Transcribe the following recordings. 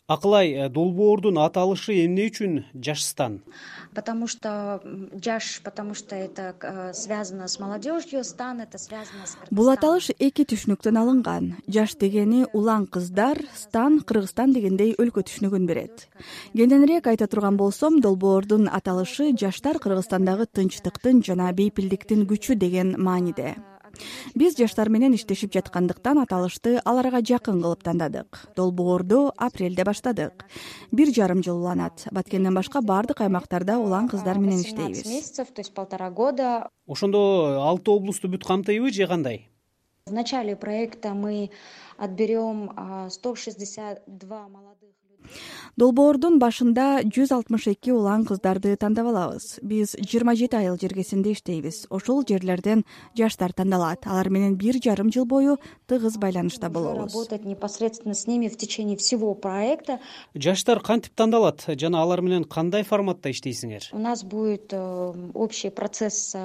Акылай, долбоордун аталышы эмне үчүн Жашстан? Потому что Жаш, потому что это связано с молодежью, Стан это связано с Кыргызстаном. Бул аталыш эки түшүнүктөн алынган. Жаш дегени улан кыздар, Стан Кыргызстан дегендей өлкө түшүнүгүн берет. Кененирээк айта турган болсом, долбоордун аталышы жаштар Кыргызстандагы тынчтыктын жана бейпилдиктин күчү деген мааниде. Биз жаштар менен иштешип жаткандыктан аталышты аларга жакын кылып тандадык. Долбоорду апрелде баштадык. 1,5 жыл уланат. Баткенден башка бардык аймактарда улан кыздар менен иштейбиз. Месяцев, то есть 1,5 года. Ошондо 6 облусту бүт камтыйбы же кандай? В начале проекта мы отберем 162 молодых людей. Долбоордун башында 162 улан кыздарды тандап алабыз. Биз 27 айыл жергесинде иштейбиз. Ошол жерлерден жаштар тандалат. Алар менен 1,5 жыл бою тыгыз байланышта болобуз. Работать непосредственно с ними в течение всего проекта. Жаштар кантип тандалат жана алар менен кандай форматта иштейсиңер? У нас будет общий процесс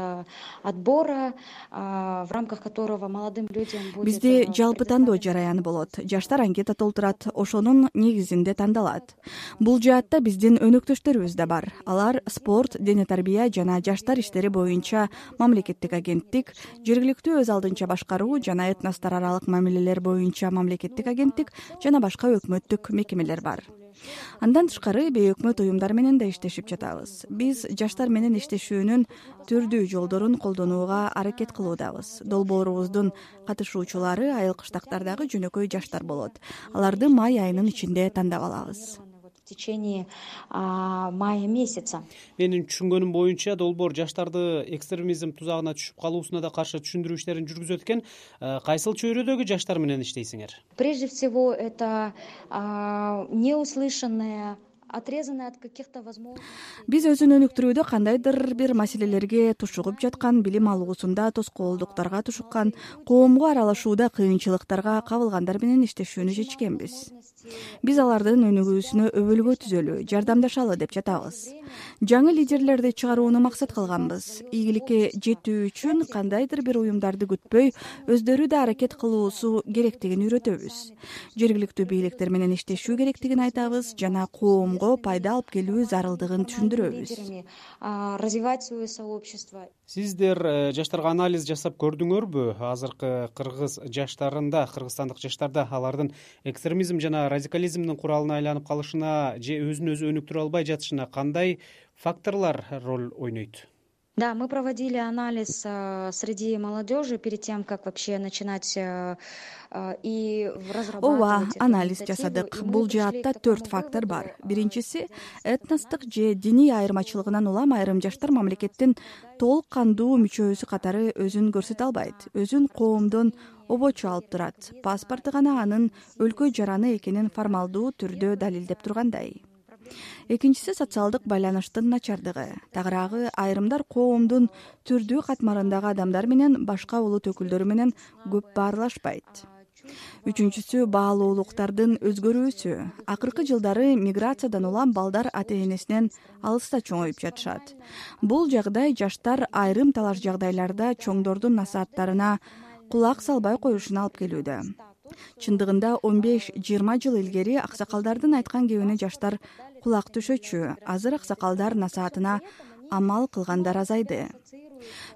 отбора, в рамках которого молодым людям будет. Бизде жалпы тандоо жараяны болот. Жаштар анкета толтурат, ошонун негизинде тандалат. Бул жаатта биздин өнөктөштөрүбүз да бар. Алар спорт, дене тарбия жана жаштар иштери боюнча мамлекеттик агенттик, жергиликтүү өз алдынча башкаруу жана этностор аралык мамилелер боюнча мамлекеттик агенттик жана башка өкмөттүк мекемелер бар. Андан тышкары бейөкмөт уюмдар менен да иштешип жатабыз. Биз жаштар менен иштешүүнүн түрдүү жолдорун колдонууга аракет кылуудабыз. Долбоорубуздун катышуучулары айыл кыштактардагы жөнөкөй жаштар болот. Аларды май айынын ичинде тандап алабыз. В течение мая месяца. Менин түшүнгөнүм боюнча долбоор жаштарды экстремизм тузагына түшүп калуусуна да каршы түшүндүрүү иштерин жүргүзөт экен. Кайсыл чөйрөдөгү жаштар менен иштейсиңер? Прежде всего это неуслышанное, отрезанное от каких-то возможностей. Биз өзүн өнүктүрүүдө кандайдыр бир маселелерге тушугуп жаткан, билим алуусунда тоскоолдуктарга тушуккан, коомго аралашууда кыйынчылыктарга кабылгандар менен иштешүүнү чечкенбиз. Биз алардын өнүгүүсүнө өбөлгө түзөлү, жардамдашалы деп жатабыз. Жаңы лидерлерди чыгарууну максат кылганбыз. Ийгиликке жетүү үчүн кандайдыр бир уюмдарды күтпөй, өздөрү да аракет кылуусу керектигин үйрөтөбүз. Жергиликтүү бийликтер менен иштешүү керектигин айтабыз жана коомго пайда алып келүү зарылдыгын түшүндүрөбүз. Развивать свое сообщество. Сиздер жаштарга анализ жасап көрдүңөрбү? Азыркы кыргыз жаштарында, кыргызстандык жаштарда алардын экстремизм жана радикализмдин куралына айланып калышына же өзүн өзү өнүктүрө албай жатышына кандай факторлор роль ойнойт? Да, мы проводили анализ среди молодежи перед тем, как вообще начинать и разрабатывать. Анализ жасадык. Бул жаатта 4 фактор бар. Биринчиси этностук же диний айырмачылыгынан улам айрым жаштар мамлекеттин толук кандуу мүчөсү катары өзүн көрсөтө албайт. Өзүн коомдон обочу алып турат. Паспорту гана анын өлкө жараны экенин формалдуу түрдө далилдеп тургандай. Экинчиси социалдык байланыштын начардыгы. Тагыраагы айрымдар коомдун түрдүү катмарындагы адамдар менен башка улут өкүлдөрү менен көп баарлашпайт. Үчүнчүсү баалуулуктардын өзгөрүүсү. Акыркы жылдары миграциядан улам балдар ата-энесинен алыста чоңоюп жатышат. Бул жагдай жаштар айрым талаш жагдайларда чоңдордун насааттарына кулак салбай коюшуна алып келүүдө. Чындыгында 15-20 жыл илгери аксакалдардын айткан кебине жаштар кулак түшөчү. Азыр аксакалдар насаатына амал кылгандар азайды.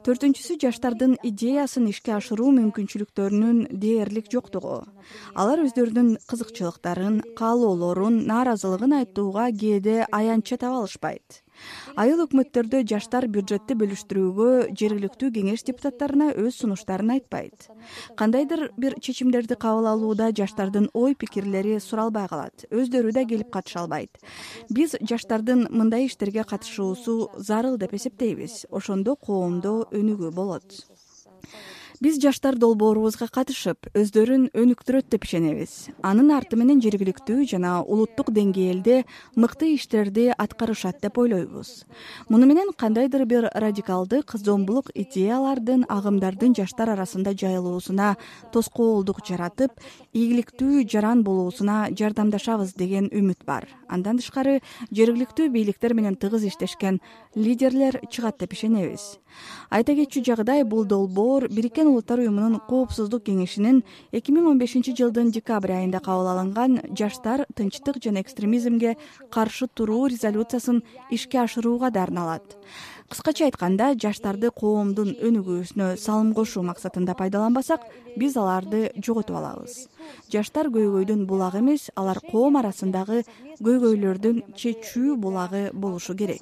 Төртүнчүсү жаштардын идеясын ишке ашыруу мүмкүнчүлүктөрүнүн дээрлик жоктугу. Алар өздөрүнүн кызыкчылыктарын, каалоолорун, нааразылыгын айтууга кээде аянтча таба алышпайт. Айыл өкмөттөрдө жаштар бюджетти бөлүштүрүүгө жергиликтүү кеңеш депутаттарына өз сунуштарын айтпайт. Кандайдыр бир чечимдерди кабыл алууда жаштардын ой пикирлери суралбай калат. Өздөрү да келип катыша албайт. Биз жаштардын мындай иштерге катышуусу зарыл деп эсептейбиз. Ошондо коомдо өнүгүү болот. Биз жаштар долбоорубузга катышып, өздөрүн өнүктүрөт деп ишенебиз. Анын арты менен жергиликтүү жана улуттук деңгээлде мыкты иштерди аткарышат деп ойлойбуз. Муну менен кандайдыр бир радикалдык, зомбулук идеялардын, агымдардын жаштар арасында жайылуусуна тоскоолдук жаратып, ийгиликтүү жаран болуусуна жардамдашабыз деген үмүт бар. Андан тышкары жергиликтүү бийликтер менен тыгыз иштешкен лидерлер чыгат деп ишенебиз. Айта кетчү жагдай, бул долбоор бириккен Бириккен Улуттар уюмунун Коопсуздук кеңешинин 2015 жылдын декабрь айында кабыл алынган жаштар тынчтык жана экстремизмге каршы туруу резолюциясын ишке ашырууга дарыналат. Кыскача айтканда, жаштарды коомдун өнүгүүсүнө салым кошуу максатында пайдаланбасак, биз аларды жоготуп алабыз. Жаштар көйгөйдүн булагы эмес, алар коом арасындагы көйгөйлөрдүн чечүү булагы болушу керек.